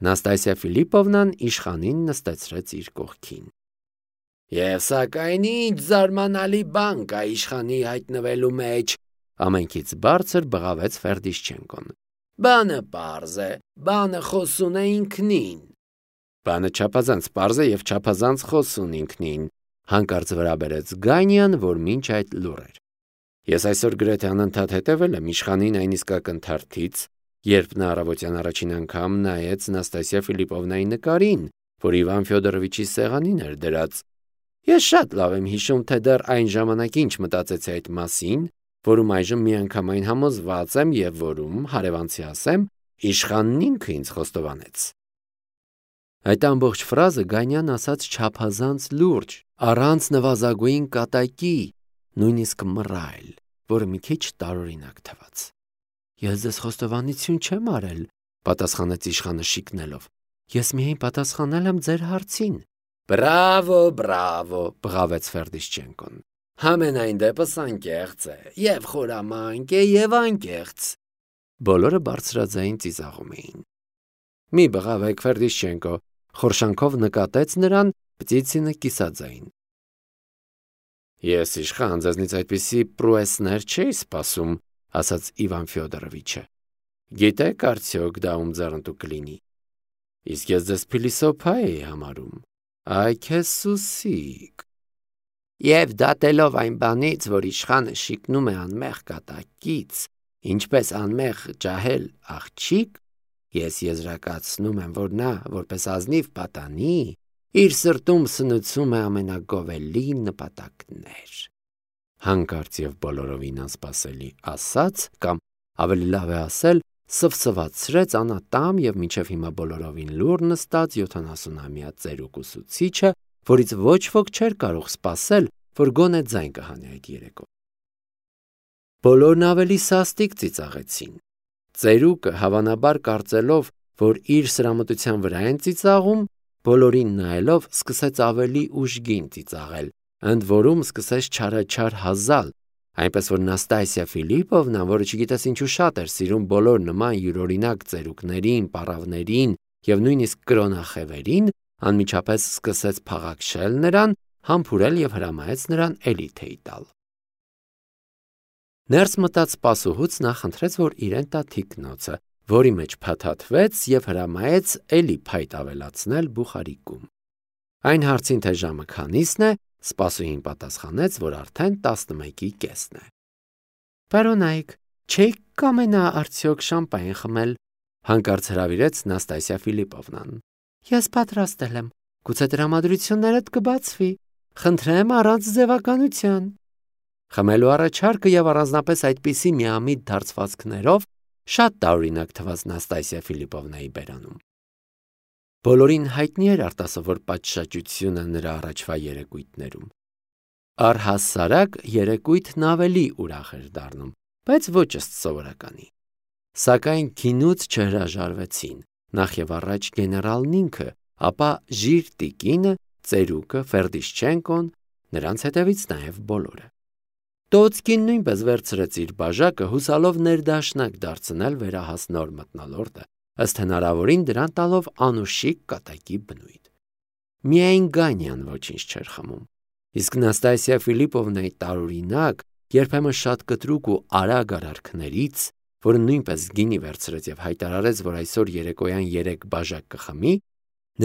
Նաստասիա Ֆիլիպովնան իշխանին նստեցրեց իր կողքին։ Եվ սակայն ինչ զարմանալի բան կա իշխանի հայտնվելու մեջ, ամենքից բարձր բղավեց Ֆերդիշչենկոն։ Բանը պարզ է, բանը խոսուն է ինքնին։ Բանը չափազանց պարզ է եւ չափազանց խոսուն ինքնին, հանկարծ վրա բերեց Գանյան, որ մինչ այդ լուռ էր։ Ես այսօր գրեթե անընդհատ հետևել եմ իշխանին այն իսկական թարթից, երբ նա առավոտյան առաջին անգամ նայեց Նաստասիա Ֆիլիպովնայի նկարին, որ Իվան Ֆյոդորովիչի սեղանին էր դրած։ Ես շատ լավ եմ հիշում, թե դեռ այն ժամանակ ինչ մտածեցի այդ մասին, որում այժմ միանգամայն համոզված եմ եւ որում, հարևանցի ասեմ, իշխանն ինքը ինձ խոստովանեց։ Այդ ամբողջ ֆրազը Գանյան ասաց չափազանց լուրջ, առանց նվազագույն կատակի, նույնիսկ մռայլ, որը մի քիչ տարօրինակ թվաց։ Ես ձեզ խոստովանություն չեմ արել, պատասխանեց իշխանը շիկնելով։ Ես միայն պատասխանել եմ ձեր հարցին։ Բրավո, բրավո, բղավեց Ֆերդիշչենկոն։ Համենայն դեպս անկեղծ է, եւ խորամանկ է, եւ անկեղծ։ Բոլորը բարձրաձայն ծիծաղում էին։ Մի բղավեք, Ֆերդիշչենկո, խորշանքով նկատեց նրան Պտիցինը կիսաձայն։ Ես իշխան ձեզնից այդպիսի պրուեսներ չէի սպասում, ասաց Իվան Ֆյոդորովիչը։ Գիտեք արդյոք դա ում ձեռնտու կլինի։ Իսկ ես ձեզ փիլիսոփա էի համարում։ Այ քեզ սուսիկ։ Եվ դատելով այն բանից, որ իշխանը շիկնում է անմեղ կատակից, ինչպես անմեղ ջահել աղջիկ, ես եզրակացնում եմ, որ նա, որպես ազնիվ պատանի, իր սրտում սնուցում է ամենագովելի նպատակներ։ Հանկարծ եւ բոլորովին անսպասելի ասաց, կամ ավելի լավ է ասել, սվսվացրեց անատամ եւ մինչեւ հիմա բոլորովին լուր նստած 70-ամյա ծերուկ ուսուցիչը, որից ոչ ոք չէր կարող սպասել, որ գոնե ձայն կհանի այդ երեկո։ Բոլորն ավելի սաստիկ ծիծաղեցին։ Ծերուկը հավանաբար կարծելով, որ իր սրամտության վրա են ծիծաղում, բոլորին նայելով սկսեց ավելի ուժգին ծիծաղել, ընդ որում սկսեց չարաչար հազալ, այնպես որ Նաստասիա Ֆիլիպովնան, որը չգիտես ինչու շատ էր սիրում բոլոր նման յուրօրինակ ծերուկներին, պառավներին եւ նույնիսկ կրոնախևերին, անմիջապես սկսեց փաղաքշել նրան, համբուրել եւ հրամայեց նրան էլի թեյ տալ։ Ներս մտած սպասուհուց նա խնդրեց, որ իրեն տա թիկնոցը, որի մեջ փաթաթվեց եւ հրամայեց էլի փայտ ավելացնել բուխարիկում։ Այն հարցին, թե ժամը քանիսն է, սպասուհին պատասխանեց, որ արդեն 11-ի կեսն է։ Պարոնայք, չեք կամենա արդյոք շամպայն խմել, հանկարծ հրավիրեց Նաստասիա Ֆիլիպովնան։ Ես պատրաստել եմ, գուցե տրամադրություններդ կբացվի, խնդրեմ առանց ձևականության։ Խմելու առաջարկը եւ առանձնապես այդպիսի միամիտ դարձվածքներով շատ տարօրինակ թվաց Նաստասիա Ֆիլիպովնայի բերանում։ Բոլորին հայտնի էր արտասովոր պատշաճությունը նրա առաջվա երեկույթներում։ Առհասարակ երեկույթն ավելի ուրախ էր դառնում, բայց ոչ ըստ սովորականի։ Սակայն քինուց չհրաժարվեցին, նախ եւ առաջ գեներալն ինքը, ապա Ժիր տիկինը, ծերուկը, Ֆերդիշչենկոն, նրանց հետևից նաեւ բոլորը։ Տոցկին նույնպես վերցրեց իր բաժակը, հուսալով ներդաշնակ դարձնել վերահաս նոր մթնոլորտը, ըստ հնարավորին դրան տալով անուշիկ կատակի բնույթ։ Միայն Գանյան ոչինչ չէր խմում, իսկ Նաստասիա Ֆիլիպովնայի տարօրինակ, երբեմն շատ կտրուկ ու արագ արարքներից, որը նույնպես գինի վերցրեց եւ հայտարարեց, որ այսօր երեկոյան 3 բաժակ կխմի,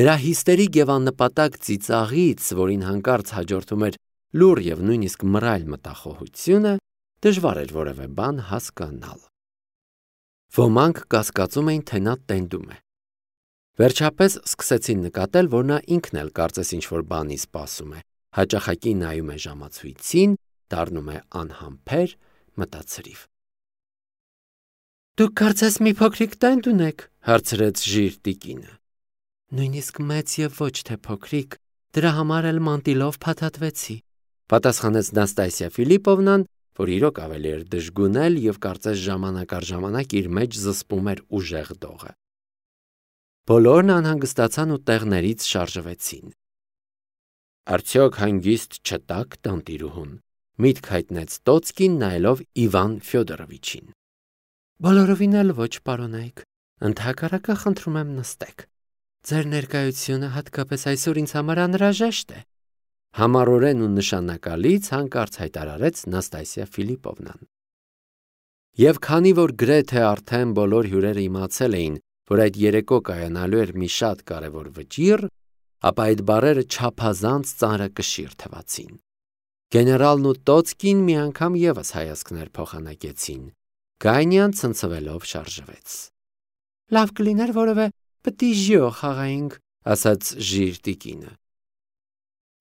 նրա հիստերիկ եւ աննպատակ ծիծաղից, որին հանկարծ հաջորդում էր լուր եւ նույնիսկ մռայլ մտախոհությունը, դժվար էր որևէ բան հասկանալ։ Ոմանք կասկածում էին, թե նա տենդում է։ Վերջապես սկսեցին նկատել, որ նա ինքն էլ կարծես ինչ-որ բանի սպասում է, հաճախակի նայում է ժամացույցին, դառնում է անհամբեր, մտածրիվ։ Դուք կարծես մի փոքրիկ տենդ ունեք, հարցրեց Ժիր տիկինը։ Նույնիսկ մեծ եւ ոչ թե փոքրիկ, դրա համար էլ մանտիլով փաթաթվեցի, պատասխանեց Նաստասիա Ֆիլիպովնան, որ իրոք ավելի էր դժգունել եւ կարծես ժամանակ առ ժամանակ իր մեջ զսպում էր ուժեղ դողը։ Բոլորն անհանգստացան ու տեղներից շարժվեցին։ Արդյոք հանգիստ չտաք տանտիրուհուն, միտք հայտնեց Տոցկին նայելով Իվան Ֆյոդորովիչին։ Բոլորովին էլ ոչ, պարոնայք, ընդհակառակը խնդրում եմ նստեք, Ձեր ներկայությունը հատկապես այսօր ինձ համար անհրաժեշտ է։ Համառորեն ու նշանակալից հանկարծ հայտարարեց Նաստասիա Ֆիլիպովնան։ Եվ քանի որ գրեթե արդեն բոլոր հյուրերը իմացել էին, որ այդ երեկո կայանալու էր մի շատ կարևոր վճիռ, ապա այդ բառերը չափազանց ծանրակշիռ թվացին։ Գեներալն ու Տոցկին մի անգամ ևս հայացքներ փոխանակեցին։ Գայնյան ցնցվելով շարժվեց։ Լավ կլիներ որևէ պտիժյո խաղայինք, ասաց Ժիրտիկինը։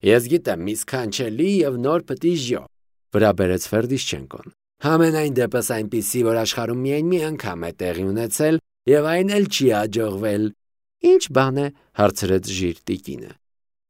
Ես գիտեմ մի սքանչելի եւ նոր պտիժյո, վրա բերեց Ֆերդիշչենկոն։ Համենայն դեպս այնպիսի, որ աշխարհում միայն մի անգամ է տեղի ունեցել եւ այն էլ չի աջողվել։ Ինչ բան է, հարցրեց Ժիրտիկինը։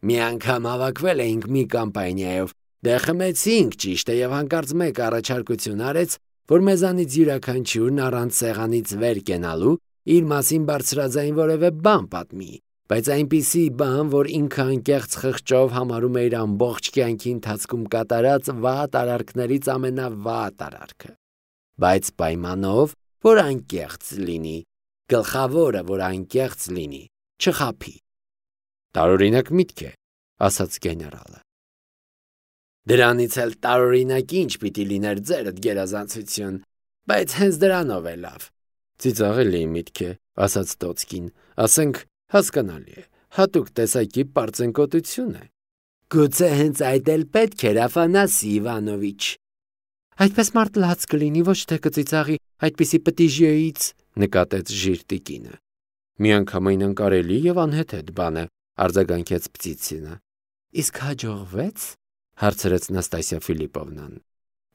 Մի անգամ հավաքվել էինք մի կամպանիայով, դե խմեցինք ճիշտ է եւ հանկարծ մեկ առաջարկություն արեց, որ մեզանից յուրաքանչյուրն առանց սեղանից վեր կենալու իր մասին բարձրաձայն որևէ բան պատմի, բայց այնպիսի բան, որ ինքը անկեղծ խղճով համարում է իր ամբողջ կյանքի ընթացքում կատարած վատ արարքներից ամենավատ արարքը։ Բայց պայմանով, որ անկեղծ լինի, գլխավորը, որ անկեղծ լինի, չխաբի։ Տարօրինակ միտք է, ասաց գեներալը։ Դրանից էլ տարօրինակ ինչ պիտի լիներ ձերդ գերազանցություն, բայց հենց դրանով է լավ։ Ծիծաղելի միտք է, ասաց Տոցկին, ասենք հասկանալի է, հատուկ տեսակի պարծենկոտություն է։ Գուցե հենց այդ էլ պետք էր, Աֆանասի Իվանովիչ։ Այդպես մարդ լաց կլինի, ոչ թե կծիծաղի այդպիսի պտիժյոյից, նկատեց Ժիրտիկինը։ Միանգամայն անկարելի եւ անհեթեթ բան է, արձագանքեց Պծիցինը։ Իսկ հաջողվեց, հարցրեց Նաստասիա Ֆիլիպովնան։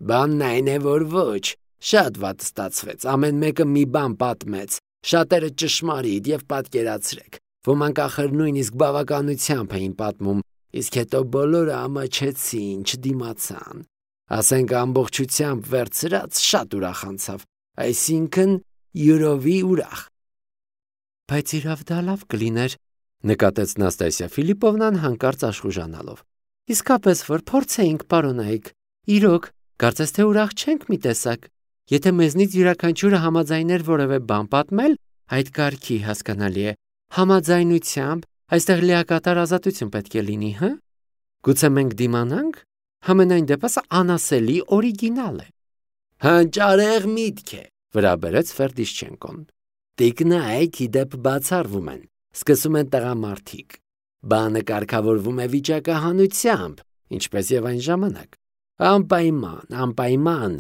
Բանն այն է, որ ոչ, շատ վատ ստացվեց, ամեն մեկը մի բան պատմեց, շատերը ճշմարիտ եւ պատկերացրեք, ոմանք ախր նույնիսկ բավականությամբ էին պատմում, իսկ հետո բոլորը ամաչեցին, չդիմացան։ Ասենք ամբողջությամբ վերցրած շատ ուրախ անցավ, այսինքն յուրովի ուրախ։ Բայց իրավ դա լավ կլիներ, նկատեց Նաստասիա Ֆիլիպովնան հանկարծ աշխուժանալով։ Իսկապես որ փորձեինք, պարոնայք, իրոք, կարծես թե ուրախ չենք մի տեսակ։ Եթե մեզնից յուրաքանչյուրը համաձայներ որևէ բան պատմել, այդ կարգի հասկանալի է, համաձայնությամբ այստեղ լիակատար ազատություն պետք է լինի, հա։ Գուցե մենք դիմանանք, համենայն դեպս անասելի օրիգինալ է։ Հանճարեղ միտք է, վրա բերեց Ֆերդիշչենկոն։ Տիկնայք իդեպ բացառվում են, սկսում են տղամարդիկ։ Բանը կարգավորվում է վիճակահանությամբ, ինչպես եւ այն ժամանակ։ Անպայման,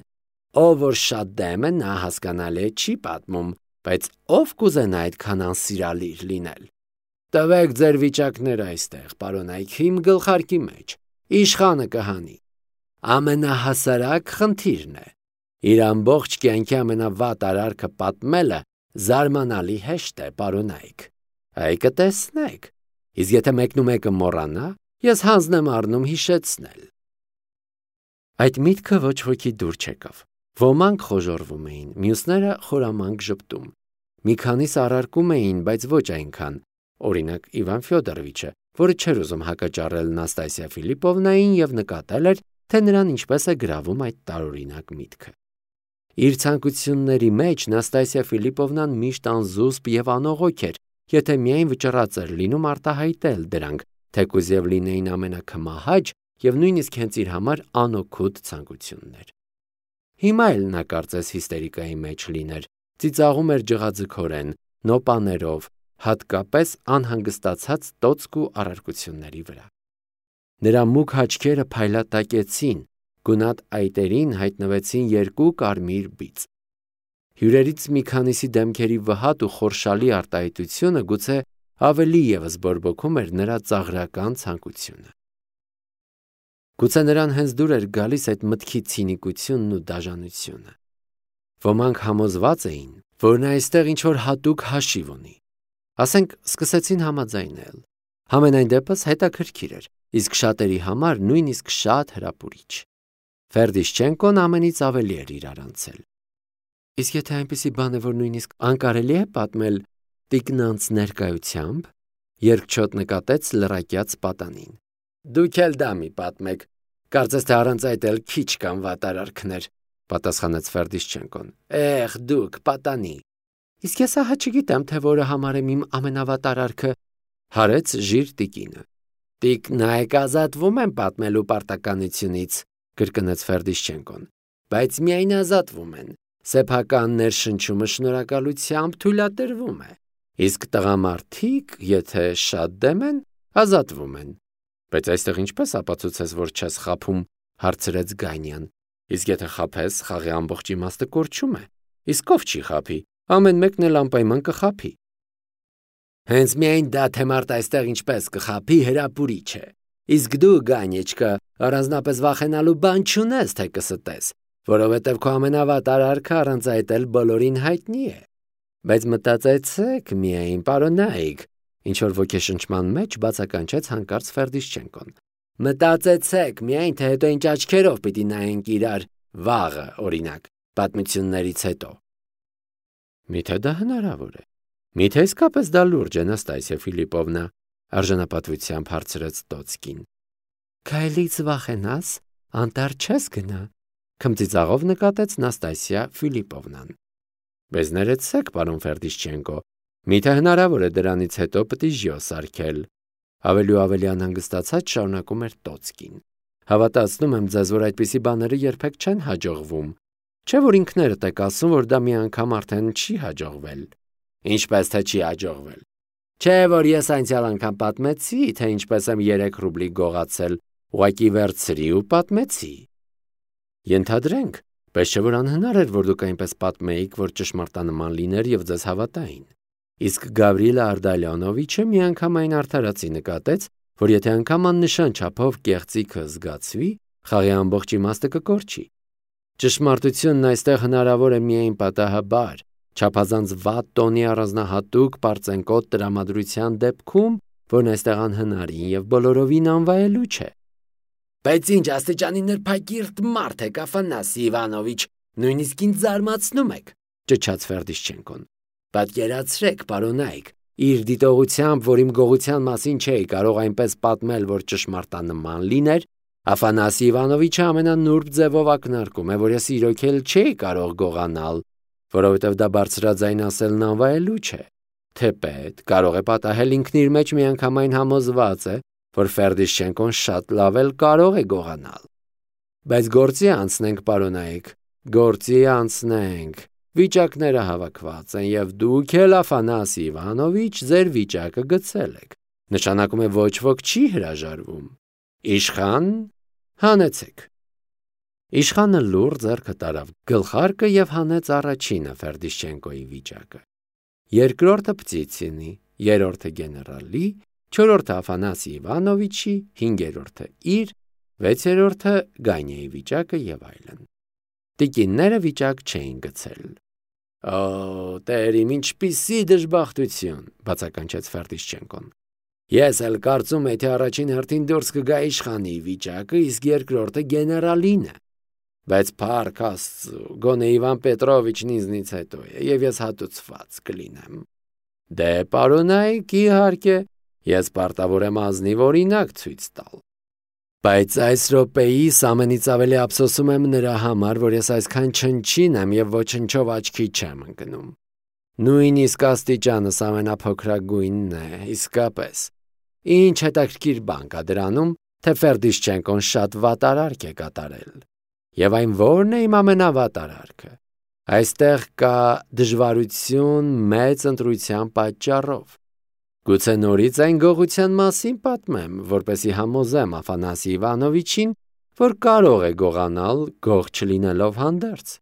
ով որ շատ դեմ է, նա հասկանալի չի պատմում, բայց ով կուզենա այդքան անսիրալիր լինել։ Տվեք ձեր վիճակները այստեղ, պարոնայք, իմ գլխարկի մեջ, իշխանը կհանի։ Ամենահասարակ խնդիրն է։ Իր ամբողջ կյանքի ամենավատ արարքը պատմելը զարմանալի հեշտ է, պարոնայք։ Այ կտեսնեք։ Իսկ եթե մեկնումեկը մոռանա, ես հանձն եմ առնում հիշեցնել։ Այդ միտքը ոչ ոքի դուր չեկավ։ Ոմանք խոժոռվում էին, մյուսները խորամանկ ժպտում։ Մի քանիսը առարկում էին, բայց ոչ այնքան։ Օրինակ Իվան Ֆյոդորովիչը, որը չէր ուզում հակաճառել Նաստասիա Ֆիլիպովնային եւ նկատել էր, թե նրան ինչպես է գրավում այդ տարօրինակ միտքը։ Իր ցանկությունների մեջ Նաստասիա Ֆիլիպովնան միշտ անզուսպ եւ անողոք էր, եթե միայն վճռած էր լինում արտահայտել դրանք, թեկուզ եւ լինեին ամենակմահաճ եւ նույնիսկ հենց իր համար անօգուտ ցանկություններ։ Հիմա էլ նա կարծես հիստերիկայի մեջ լիներ, ծիծաղում էր ջղաձգորեն, նոպաներով, հատկապես անհանգստացած տոցկու առարկությունների վրա։ Նրա մուգ հաչքերը փայլատակեցին, գունատ այտերին հայտնվեցին երկու կարմիր բիծ։ Հյուրերից մի քանիսի դեմքերի վհատ ու խորշալի արտահայտությունը գուցե ավելի ևս բորբոքում էր նրա ծաղրական ցանկությունը։ Գուցե նրան հենց դուր էր գալիս այդ մտքի ցինիկությունն ու դաժանությունը։ Ոմանք համոզված էին, որ նա այստեղ ինչ-որ հատուկ հաշիվ ունի։ Ասենք, սկսեցին համաձայնել։ Համենայն դեպս հետաքրքիր էր, իսկ շատերի համար նույնիսկ շատ հրապուրիչ։ Ֆերդիշչենկոն ամենից ավելի էր իրար անցել։ Իսկ եթե այնպիսի բան է, որ նույնիսկ անկարելի է պատմել տիկնանց ներկայությամբ, երկչոտ նկատեց լրակյաց պատանին։ Դուք էլ դա մի պատմեք, կարծես թե առանց այդ էլ քիչ կան վատարարքներ, պատասխանեց Ֆերդիշչենկոն։ Էհ, դուք պատանի։ Իսկ ես ահա չգիտեմ, թե որը համարեմ իմ ամենավատարարքը, Հարեց ժիր տիկինը։ Տիկնայք ազատվում են պատմելու պարտականությունից, կրկնեց Ֆերդիշչենկոն, բայց միայն ազատվում են։ Սեփական ներշնչումը շնորհակալությամբ թույլատրվում է, իսկ տղամարդիկ, եթե շատ դեմ են, ազատվում են։ Բայց այստեղ ինչպես ապացուցես, որ չես խաբում, հարցրեց Գանյան։ Իսկ եթե խաբես, խաղի ամբողջ իմաստը կորչում է։ Իսկ ով չի խաբի, ամեն մեկն էլ անպայման կխաբի։ Հենց միայն դա թե մարդ այստեղ ինչպես կխաբի հրապուրիչ է։ Իսկ դու, Գանյեչկա, առանձնապես վախենալու բան չունես, թե կստես, որովհետև քո ամենավատ արարքը առանց այդ էլ բոլորին հայտնի է։ Բայց մտածեցեք միայն, պարոնայք, ինչ որ ոգեշնչման մեջ բացականչեց հանկարծ Ֆերդիշչենկոն։ Մտածեցեք միայն, թե հետո ինչ աչքերով պիտի նայենք իրար վաղը, օրինակ, պատմություններից հետո։ Միթե դա հնարավոր է։ Միթե իսկապես դա լուրջ է, Նաստասիա Ֆիլիպովնա, արժանապատվությամբ հարցրեց Տոցկին։ Քայլից վախենաս, անտառ չես գնա, քմծիծաղով նկատեց Նաստասիա Ֆիլիպովնան։ Բայց ներեցեք, պարոն Ֆերդիշչենկո, միթե հնարավոր է դրանից հետո պիտի ժյո սարքել, ավելի ու ավելի անհանգստացած շարունակում էր Տոցկին։ Հավատացնում եմ ձեզ, որ այդպիսի բաները երբեք չեն հաջողվում, չէ՞ որ ինքներդ եք ասում, որ դա մի անգամ արդեն չի հաջողվել։ Ինչպես թե չի հաջողվել։ Չէ՞ որ ես անցյալ անգամ պատմեցի, թե ինչպես եմ 3 ռուբլի գողացել, ուղղակի վերցրի ու պատմեցի։ Ենթադրենք, բայց չէ՞ որ անհնար էր, որ դուք այնպես պատմեիք, որ ճշմարտանման լիներ եւ ձեզ հավատային։ Իսկ Գավրիլա Արդալյանովիչը միանգամայն արդարացի նկատեց, որ եթե անգամ աննշան չափով կեղծիքը զգացվի, խաղի ամբողջ իմաստը կկորչի։ Ճշմարտությունն այստեղ հնարավոր է միայն պատահաբար, չափազանց վատ տոնի առանձնահատուկ պարծենկոտ տրամադրության դեպքում, որն այստեղ անհնարին եւ բոլորովին անվայելու չէ։ Բայց ինչ աստիճանի նրբակիրթ մարդ եք, Աֆանասի Իվանովիչ, նույնիսկ ինձ զարմացնում եք, ճչաց Ֆերդիշչենկոն։ Պատկերացրեք, պարոնայք, իր դիտողությամբ, որ իմ գողության մասին չէի կարող այնպես պատմել, որ ճշմարտանման լիներ, Աֆանասի Իվանովիչը ամենանուրբ ձևով ակնարկում է, որ ես իրոք էլ չէի կարող գողանալ, որովհետև դա բարձրաձայն ասելն անվայելու չէ։ Թեպետ կարող է պատահել ինքն իր մեջ միանգամայն համոզված է, որ Ֆերդիշչենկոն շատ լավ էլ կարող է գողանալ։ Բայց գործի անցնենք, պարոնայք, գործի անցնենք։ Վիճակները հավաքված են եւ դուք էլ Աֆանասի Իվանովիչ ձեր վիճակը գցել եք։ Նշանակում է ոչ ոք չի հրաժարվում։ Իշխան, հանեցեք։ Իշխանը լուր ձեռքը տարավ գլխարկը եւ հանեց առաջինը Ֆերդիշչենկոյի վիճակը։ Երկրորդը Պտիցինի, երրորդը գեներալի, չորրորդը Աֆանասի Իվանովիչի, հինգերորդը իր, վեցերորդը Գանյայի վիճակը եւ այլն։ Տիկինները վիճակ չէին գցել։ Օ, տեր իմ ինչպիսի դժբախտություն, բացականչեց Ֆերդիշչենկոն։ Ես էլ կարծում եի, թե առաջին հերթին դուրս կգա իշխանի վիճակը, իսկ երկրորդը գեներալինը։ Բայց փառք Աստծո, գոնե Իվան Պետրովիչն ինձնից հետո է, եւ ես հատուցված կլինեմ։ Դե, պարոնայք, իհարկե, ես պարտավոր եմ ազնիվ օրինակ ցույց տալ։ Բայց այս րոպեիս ամենից ավելի ափսոսում եմ նրա համար, որ ես այսքան չնչին եմ եւ ոչնչով աչքի չեմ ընկնում։ Նույնիսկ աստիճանս ամենափոքրագույնն է, իսկապես։ Ինչ հետաքրքիր բան կա դրանում, թե Ֆերդիշչենկոն շատ վատ արարք է կատարել։ Եվ այն ո՞րն է իմ ամենավատ արարքը։ Այստեղ կա դժվարություն մեծ ընտրության պատճառով։ Գուցե նորից այն գողության մասին պատմեմ, որպեսզի համոզեմ Աֆանասի Իվանովիչին, որ կարող է գողանալ, գող չլինելով հանդերձ։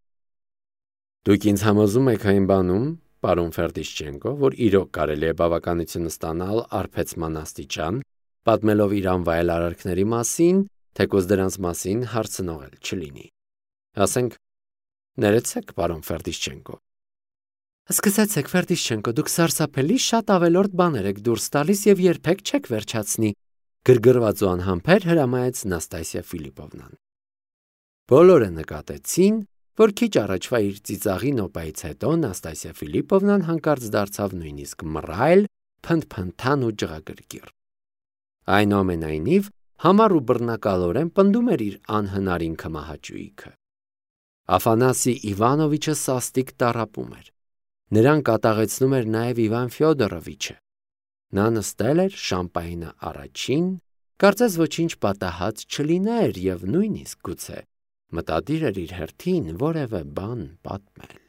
Դուք ինձ համոզում եք այն բանում, պարոն Ֆերդիշչենկո, որ իրոք կարելի է բավականություն ստանալ արբեցման աստիճան, պատմելով իր անվայել արարքների մասին, թեկուզ դրանց մասին հարցնողել չլինի։ Ասենք, ներեցեք, պարոն Ֆերդիշչենկո։ Սկսեցեք, Ֆերդիշչենկո, դուք սարսափելի շատ ավելորդ բաներ եք դուրս տալիս եւ երբեք չեք վերջացնի, գրգռված ու անհամբեր հրամայեց Նաստասիա Ֆիլիպովնան։ Բոլորը նկատեցին, որ քիչ առաջվա իր ծիծաղի նոպայից հետո Նաստասիա Ֆիլիպովնան հանկարծ դարձավ նույնիսկ մռայլ, փնթփնթան ու ջղագրգիռ։ Այնուամենայնիվ, համառ ու բռնակալորեն պնդում էր իր անհնարին քմահաճույքը։ Աֆանասի Իվանովիչը սաստիկ տառապում էր։ Նրան կատաղեցնում էր նաև Իվան Ֆյոդորովիչը։ Նա նստել էր շամպայնը առաջին, կարծես ոչինչ պատահած չլիներ և նույնիսկ գուցե մտադիր էր իր հերթին որևէ բան պատմել։